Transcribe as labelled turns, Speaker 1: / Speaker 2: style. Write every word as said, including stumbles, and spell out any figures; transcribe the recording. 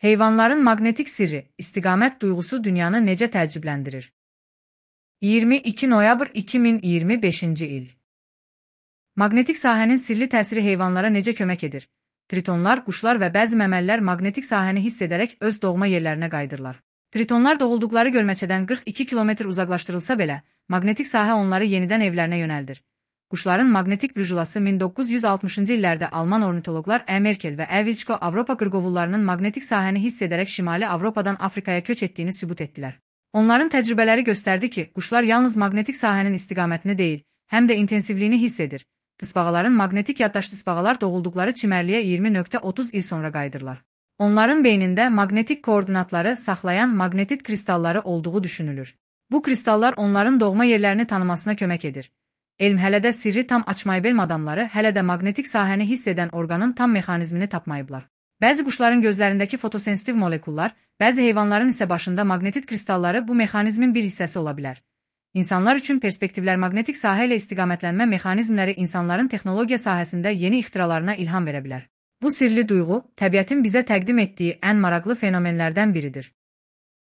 Speaker 1: Heyvanların maqnetik sirri, istiqamət duyğusu dünyanı necə təəccübləndirir? iyirmi iki noyabr iki min iyirmi beşinci il. Maqnetik sahənin sirli təsiri heyvanlara necə kömək edir? Tritonlar, quşlar və bəzi məməlilər maqnetik sahəni hiss edərək öz doğma yerlərinə qayıdırlar. Tritonlar doğulduqları gölməçədən qırx iki kilometr uzaqlaşdırılsa belə, maqnetik sahə onları yenidən evlərinə yönəldir. Quşların maqnetik brüjulası min doqquz yüz altmışıncı illərdə Alman ornitoloqlar E. Merkel və E. Vilçko Avropa qırqovullarının maqnetik sahəni hiss edərək Şimali Avropadan Afrikaya köç etdiyini sübut etdilər. Onların təcrübələri göstərdi ki, quşlar yalnız maqnetik sahənin istiqamətini deyil, həm də intensivliyini hiss edir. Tısbağaların maqnetik yaddaş tısbağalar doğulduqları çimərliyə iyirmi nöqtə otuz il sonra qayıdırlar. Onların beynində maqnetik koordinatları saxlayan maqnetit kristalları olduğu düşünülür. Bu kristallar onların doğma yerlərini tanımasına kömək edir. Elm hələ də sirri tam açmayıb, elm adamları hələ də maqnetik sahəni hiss edən orqanın tam mexanizmini tapmayıblar. Bəzi quşların gözlərindəki fotosensitiv molekullar, bəzi heyvanların isə başında maqnetit kristalları bu mexanizmin bir hissəsi ola bilər. İnsanlar üçün perspektivlər maqnetik sahə ilə istiqamətlənmə mexanizmləri insanların texnologiya sahəsində yeni ixtiralarına ilham verə bilər. Bu sirli duyğu, təbiətin bizə təqdim etdiyi ən maraqlı fenomenlərdən biridir.